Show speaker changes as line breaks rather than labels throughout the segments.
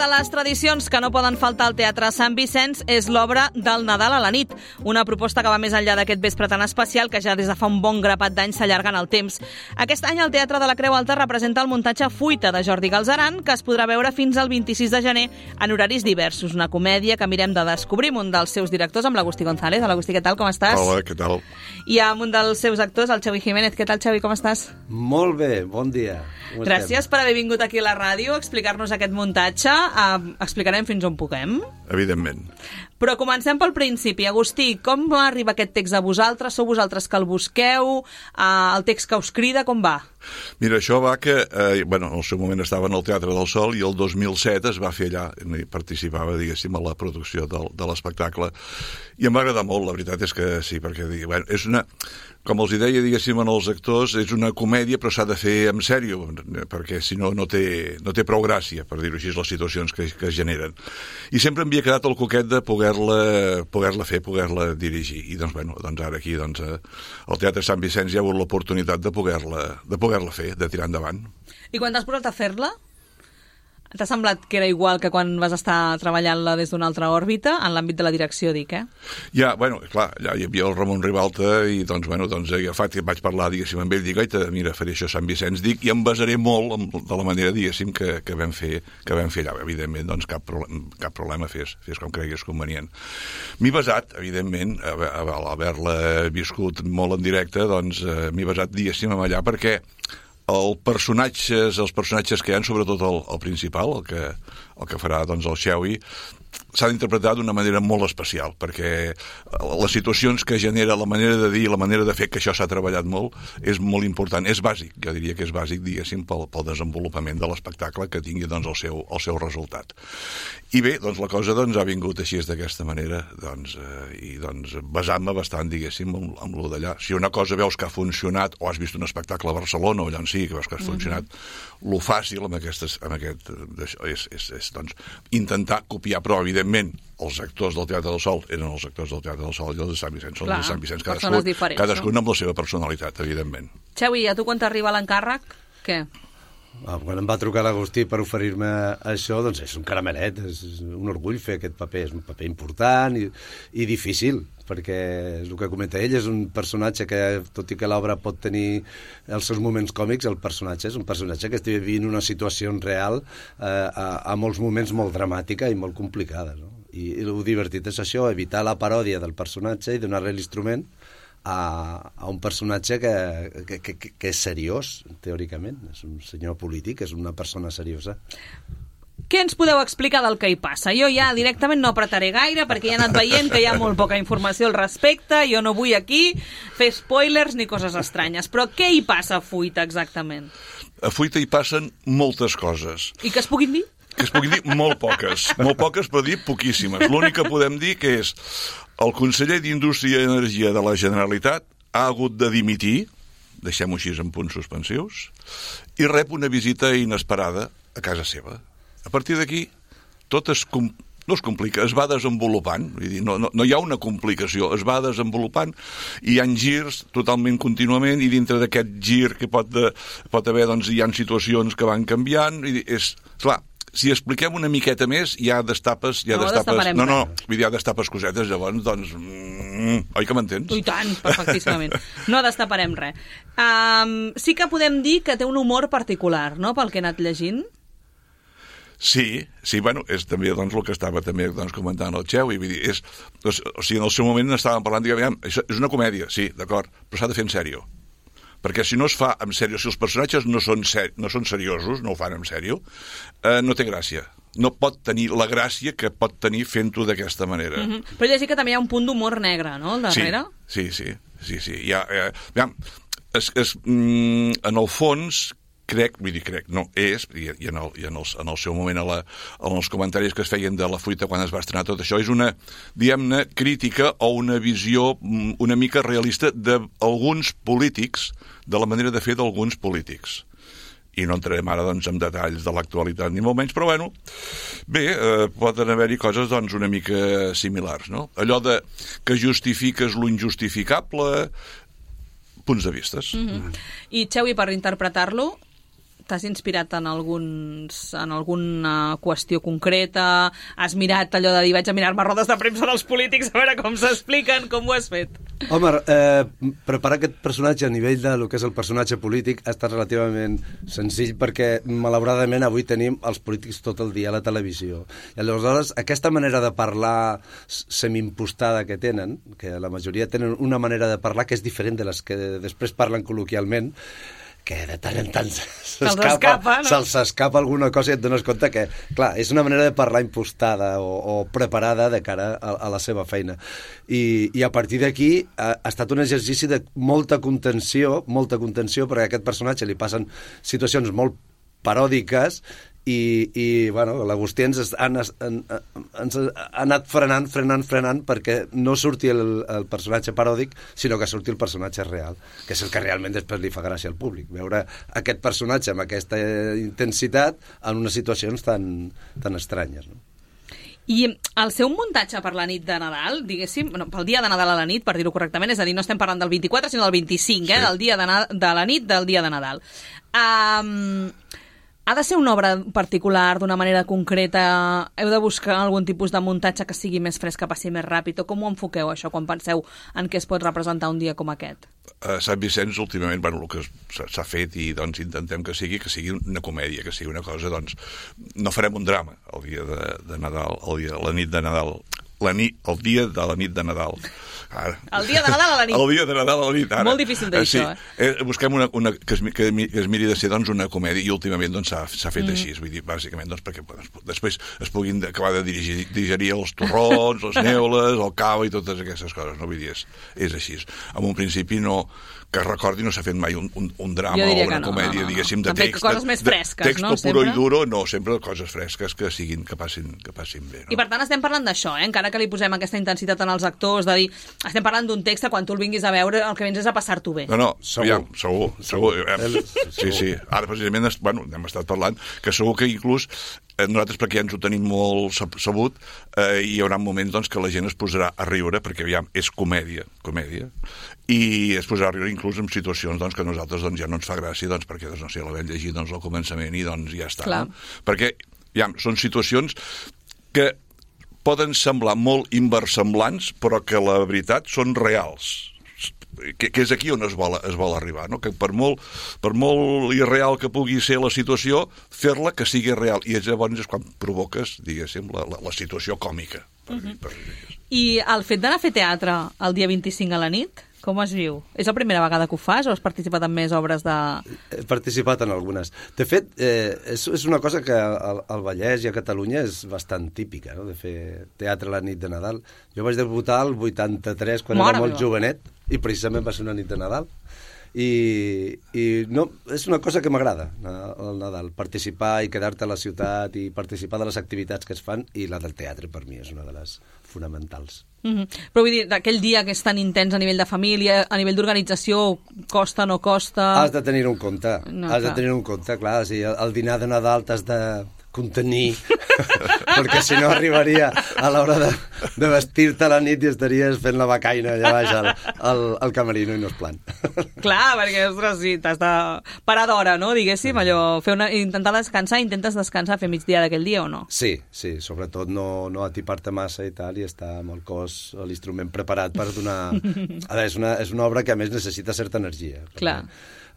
de les tradicions que no poden faltar al Teatre Sant Vicenç és l'obra del Nadal a la nit, una proposta que va més enllà d'aquest vespre tan especial que ja des de fa un bon grapat d'anys s'allarga en el temps. Aquest any el Teatre de la Creu Alta representa el muntatge Fuita de Jordi Galzeran, que es podrà veure fins al 26 de gener en horaris diversos. Una comèdia que mirem de descobrir amb un dels seus directors, amb l'Agustí González. Hola, Agustí, què tal, com estàs?
Hola, què tal?
I amb un dels seus actors, el Xavi Jiménez. Què tal, Xavi, com estàs?
Molt bé, bon dia.
Gràcies per haver vingut aquí a la ràdio a explicar-nos aquest muntatge. Explicarem fins on puguem.
Evidentment.
Però comencem pel principi. Agustí, com arriba aquest text a vosaltres? Sou vosaltres que el busqueu? El text que us crida, com va?
Mira, això va que, en el seu moment estava en el Teatre del Sol i el 2007 es va fer allà, i participava, diguéssim, a la producció de l'espectacle. I em va agradar molt, la veritat és que sí, perquè és una, com els deia, diguéssim, als actors, és una comèdia, però s'ha de fer en sèrio, perquè si no, no té prou gràcia, per dir-ho així, les situacions que es generen. I sempre m'havia quedat el coquet de poder-la fer, poder-la dirigir. I doncs ara aquí, al Teatre Sant Vicenç hi ha hagut l'oportunitat de poder-la fer, de tirar endavant.
I quan t'has posat a fer-la, t'ha semblat que era igual que quan vas estar treballant-la des d'una altra òrbita, en l'àmbit de la direcció, dic,
Ja, clar, ja hi havia el Ramon Ribalta i agafat i vaig parlar, diguéssim, amb ell, dic, mira, faré això a Sant Vicenç, dic, i em basaré molt de la manera, diguéssim, que vam fer allà. Evidentment, doncs cap problema, fes com creguis convenient. M'he basat, evidentment, a haver-la viscut molt en directe, doncs m'he basat, diguéssim, allà, perquè els personatges que hi ha, sobretot el principal, el que farà el Xewi, s'ha d'interpretar d'una manera molt especial, perquè les situacions que genera, la manera de dir, la manera de fer, que això s'ha treballat molt, és molt important, és bàsic, jo diria que és bàsic, diguéssim, pel desenvolupament de l'espectacle, que tingui el seu resultat. I bé, la cosa ha vingut així d'aquesta manera, i basant-me bastant, diguéssim, amb lo d'allà. Si una cosa veus que ha funcionat, o has vist un espectacle a Barcelona, o allà en sí, que veus que ha funcionat, lo fàcil amb aquest és intentar copiar, però evidentment els actors del Teatre del Sol eren els actors del Teatre del Sol i els de Sant Vicenç són els de Sant Vicenç, cadascun amb la seva personalitat, evidentment.
Xavi, a tu quan t'arriba l'encàrrec, què?
Quan em va trucar l'Agustí per oferir-me això, doncs és un caramelet, és un orgull fer aquest paper, és un paper important i difícil, perquè és el que comenta ell, és un personatge que, tot i que l'obra pot tenir els seus moments còmics, el personatge és un personatge que està vivint una situació real a molts moments molt dramàtica i molt complicada, no? I el divertit és això, evitar la paròdia del personatge i donar-li l'instrument a un personatge que és seriós, teòricament. És un senyor polític, és una persona seriosa.
Què ens podeu explicar del que hi passa? Jo ja directament no apretaré gaire perquè ja he anat veient que hi ha molt poca informació al respecte, jo no vull aquí fer spoilers ni coses estranyes, però què hi passa a Fuita exactament?
A Fuita hi passen moltes coses.
I que es puguin dir?
Que es puguin dir molt poques, però dir poquíssimes. L'únic que podem dir que és el conseller d'Indústria i Energia de la Generalitat ha hagut de dimitir, deixem-ho així en punts suspensius, i rep una visita inesperada a casa seva. A partir d'aquí, tot no es complica, es va desenvolupant, vull dir, no hi ha una complicació, es va desenvolupant i hi ha girs totalment contínuament i dintre d'aquest gir que pot haver, hi ha situacions que van canviant, i és clar. Si expliquem una miqueta més, hi ha destapes... Vull dir, hi ha destapes cosetes, llavors, oi que m'entens?
I tant, perfectíssimament. No destaparem res. Sí que podem dir que té un humor particular, no?, pel que he anat llegint.
Sí, és també el que estava també comentant el Xewi, vull dir, en el seu moment estàvem parlant, diguem, és una comèdia, sí, d'acord, però s'ha de fer en sèrio. Perquè si no es fa en sèrio, si els personatges no són seriosos, no ho fan en sèrio, no té gràcia. No pot tenir la gràcia que pot tenir fent-ho d'aquesta manera.
Però llegir que també hi ha un punt d'humor negre, no?, al darrere? Sí. En el fons, i en el seu moment en els comentaris que es feien de la Fuita quan es va estrenar tot això, és una, diguem-ne, crítica o una visió una mica realista d'alguns polítics, de la manera de fer d'alguns polítics. I no entrarem ara en detalls de l'actualitat ni molt menys, però poden haver-hi coses una mica similars, no? Allò que justifiques lo injustificable, punts de vistes. I Xewi, per interpretar-lo,
t'has inspirat en alguna qüestió concreta? Has mirat allò de dir, vaig a mirar-me rodes de premsa dels polítics a veure com s'expliquen, com ho has fet?
Home, preparar aquest personatge a nivell de lo que és el personatge polític ha estat relativament senzill perquè, malauradament, avui tenim els polítics tot el dia a la televisió. I aleshores, aquesta manera de parlar semi-impostada que tenen, que la majoria tenen una manera de parlar que és diferent de les que després parlen col·loquialment, que de tant en tant se'ls escapa alguna cosa i et dones compte que, clar, és una manera de parlar impostada o preparada de cara a la seva feina. I a partir d'aquí ha estat un exercici de molta contenció, perquè a aquest personatge li passen situacions molt paròdiques i bueno, l'Agustí ens ha anat frenant perquè no surti el personatge paròdic, sinó que surti el personatge real, que és el que realment després li fa gràcia al públic, veure aquest personatge amb aquesta intensitat en unes situacions tan estranyes, no?
I el seu muntatge per la nit de Nadal, diguéssim, pel dia de Nadal a la nit, per dir-ho correctament, és a dir, no estem parlant del 24, sinó del 25, sí. Del dia de la nit del dia de Nadal. Ha de ser una obra particular, d'una manera concreta? Heu de buscar algun tipus de muntatge que sigui més fresc, que passi més ràpid? O com ho enfoqueu, això, quan penseu en què es pot representar un dia com aquest?
A Sant Vicenç, últimament, el que s'ha fet i doncs intentem que sigui una comèdia, que sigui una cosa, doncs, no farem un drama el dia de Nadal, la nit de Nadal, el dia de la nit de Nadal. Ara.
El dia de Nadal a la nit.
El dia de Nadal a la nit, ara.
Molt difícil de dir
sí.
Això,
Busquem una que es miri de ser doncs, una comèdia i últimament doncs, s'ha fet així, vull dir, bàsicament doncs, perquè després es puguin acabar de digerir els torrons, les neules, el cava i totes aquestes coses, no? Vull dir, és així. En un principi que recordi, no s'ha fet mai un drama o una comèdia, diguéssim, de text.
Coses més fresques,
texto
no?
Puro i duro, no, sempre coses fresques que passin bé. No?
I per tant estem parlant d'això, encara que li posem aquesta intensitat en els actors, de dir, estem parlant d'un text que quan tu el vinguis a veure el que vens és a passar-t'ho bé.
No, segur. Sí. Ara, precisament, hem estat parlant que segur que inclús nosaltres, perquè ja ens ho tenim molt sabut, hi haurà moments doncs, que la gent es posarà a riure, perquè aviam, és comèdia, i es posarà a riure inclús en situacions doncs, que a nosaltres doncs, ja no ens fa gràcia, doncs, perquè no sé, la vam llegir doncs, al començament i doncs, ja està. No? Perquè són situacions que poden semblar molt inversemblants, però que la veritat són reals. Que és aquí on es vol arribar, no? Que per molt irreal que pugui ser la situació, fer-la que sigui real. I llavors és quan provoques, diguéssim, la situació còmica.
I el fet d'anar a fer teatre el dia 25 a la nit, com es viu? És la primera vegada que ho fas o has participat en més obres de...?
He participat en algunes. De fet, és una cosa que al Vallès i a Catalunya és bastant típica, no? De fer teatre a la nit de Nadal. Jo vaig debutar el 83, quan era molt jovenet, i precisament va ser una nit de Nadal. I no, és una cosa que m'agrada, el Nadal, participar i quedar-te a la ciutat i participar de les activitats que es fan, i la del teatre per mi és una de les fonamentals.
Però vull dir, aquell dia que és tan intens a nivell de família, a nivell d'organització, costa, no costa...
Has de tenir un compte, clar, sí, el dinar de Nadal t'has de contenir, perquè si no arribaria a l'hora de vestir-te a la nit i estaries fent la becaina allà baix al camerino i no és plan.
Clar, perquè, ostres, sí, t'has de parar d'hora, no?, diguéssim, allò, intentar descansar, intentes descansar, fer migdia d'aquell dia o no?
Sí, sobretot no atipar-te massa i tal, i estar amb el cos, l'instrument preparat per donar... A veure, és una obra que a més necessita certa energia.
Clar.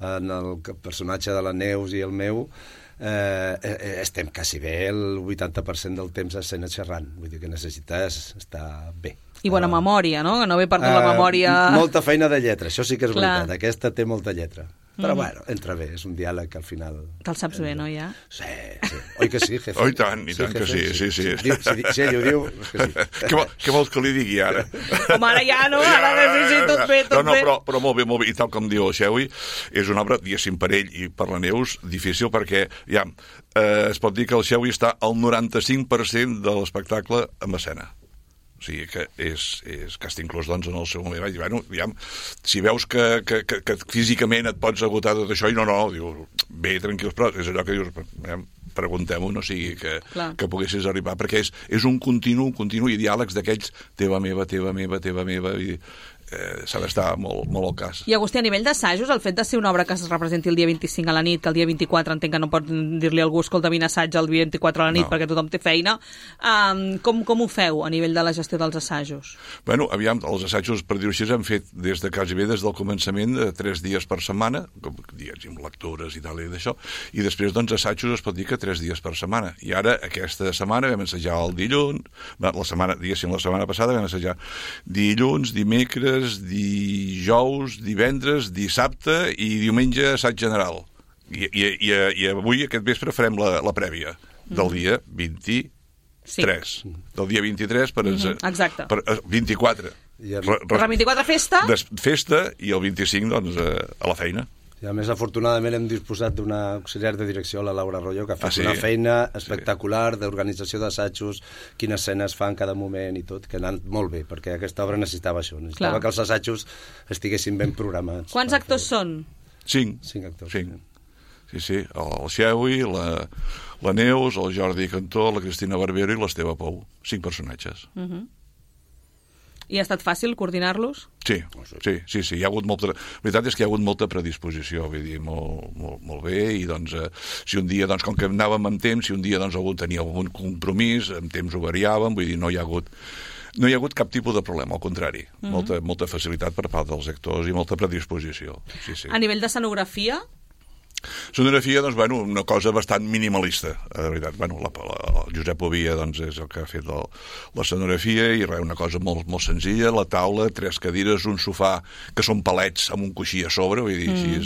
En el personatge de la Neus i el meu, estem quasi bé el 80% del temps a escena xerrant, vull dir que necessites estar bé.
I bona memòria, no? Que no ve perdut la memòria...
Molta feina de lletra, això sí que és veritat, aquesta té molta lletra. Però bueno, entra bé, és un diàleg que al final...
Te'l saps bé, no, ja?
Sí. Oi que sí, jefe?
Oh, i tant que sí.
Si ell ho diu, és que sí.
Què vols que li digui ara?
Com ara ja, no? Ara sí, tot bé.
Però molt bé, i tal com diu el Xeui, és una obra, diguéssim, per ell i per la Neus, difícil perquè, es pot dir que el Xeui està al 95% de l'espectacle en escena. O sigui que que està inclús doncs, en el seu moment. Bueno, si veus que físicament et pots agotar tot això, i no, diu, bé, tranquils, però és allò que dius, preguntem-ho, no sigui que poguessis arribar, perquè és un continu i diàlegs d'aquells teva meva, i s'ha d'estar molt al cas.
I Agustí, a nivell d'assajos, el fet de ser una obra que es representi el dia 25 a la nit, que el dia 24 entenc que no pot dir-li a algú escolta, vine assaig el dia 24 a la nit perquè tothom té feina, com ho feu a nivell de la gestió dels assajos?
Bueno, aviam, els assajos, per dir-ho així, han fet des de quasi bé des del començament 3 dies per setmana, com dies amb lectures i tal i d'això, i després, doncs, assajos es pot dir que 3 dies per setmana. I ara, aquesta setmana, vam assajar el dilluns, la setmana passada vam assajar dilluns, dimecres, dijous, divendres, dissabte i diumenge assaig general. I avui, aquest vespre, farem la prèvia del dia 23. Sí. Del dia 23 per 24.
Per la 24 festa?
Festa i el 25, doncs, a la feina.
I a més, afortunadament, hem disposat d'una auxiliar de direcció, la Laura Arroyo, que ha fet una feina espectacular d'organització d'assajos, quines escenes fa en cada moment i tot, que ha anat molt bé, perquè aquesta obra necessitava això, necessitava que els assajos estiguessin ben programats.
Quants actors són?
5.
5 actors.
5. Sí, el Xeui, la Neus, el Jordi Cantó, la Cristina Barbero i l'Esteve Pou. 5 personatges.
I ha estat fàcil coordinar-los?
Sí. Hi ha hagut molta... La veritat és que hi ha hagut molta predisposició, vull dir, molt bé, i doncs, si un dia, doncs, com que anàvem amb temps, si un dia, doncs, algú tenia algun compromís, amb temps ho variàvem, vull dir, no hi ha hagut cap tipus de problema, al contrari. Molta facilitat per part dels actors i molta predisposició. Sí.
A nivell d'escenografia?
Sonografia, doncs, bueno, una cosa bastant minimalista, de veritat. Bueno, el Josep Ovia, doncs, és el que ha fet la sonografia i res, una cosa molt senzilla, la taula, 3 cadires, un sofà que són palets amb un coixí a sobre, vull dir, així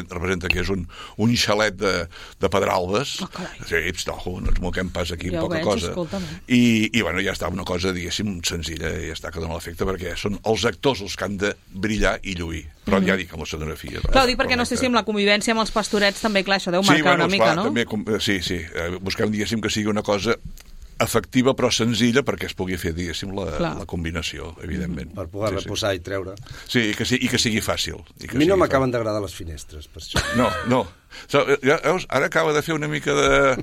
representa que és un xalet de Pedralbes. Sí, no ens moquem pas aquí amb poca cosa. I, bueno, ja està, una cosa, diguéssim, senzilla, i ja està, que dona l'efecte, perquè són els actors els que han de brillar i lluir. Però ja dic, amb la sonografia.
Clar, dic perquè no sé si amb la convivència amb els pastorets també, clar, això deu marcar una mica, no?
Sí. Busquem, diguéssim, que sigui una cosa efectiva però senzilla perquè es pugui fer, diguéssim, la combinació, evidentment.
Per poder-la posar i treure.
Sí, i que sigui fàcil.
A mi no m'acaben d'agradar les finestres, per això.
No. Ara acaba de fer una mica de...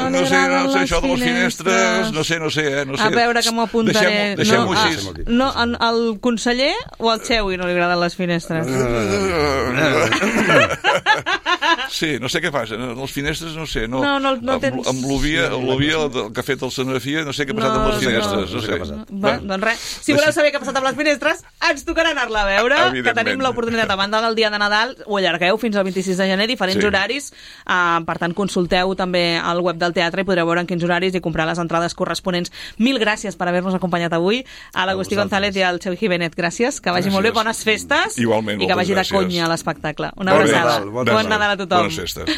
No sé, això de les finestres, no sé.
A veure, que m'ho apuntaré.
Deixem-ho així.
No, al conseller o al Xeui no li agraden les finestres?
Sí, no sé què passa. Les finestres, no sé.
No tens...
Amb l'Ovia, que ha fet el Sonografia, no sé què ha passat amb les finestres. No sé què ha passat.
Doncs res, si voleu saber què ha passat amb les finestres, ens tocarà anar-la a veure, que tenim l'oportunitat a banda del dia de Nadal, ho allargueu fins al 26 de gener, diferents horaris, per tant consulteu també al web del teatre i podreu veure en quins horaris i comprar les entrades corresponents. Mil gràcies per haver-nos acompanyat avui, a l'Agustí González i al Xevi Jiménez. Gràcies, que vagi molt bé, bones festes.
Igualment,
i que vagi de conya l'espectacle. Una abraçada. Bon Nadal a tothom.
Bones festes.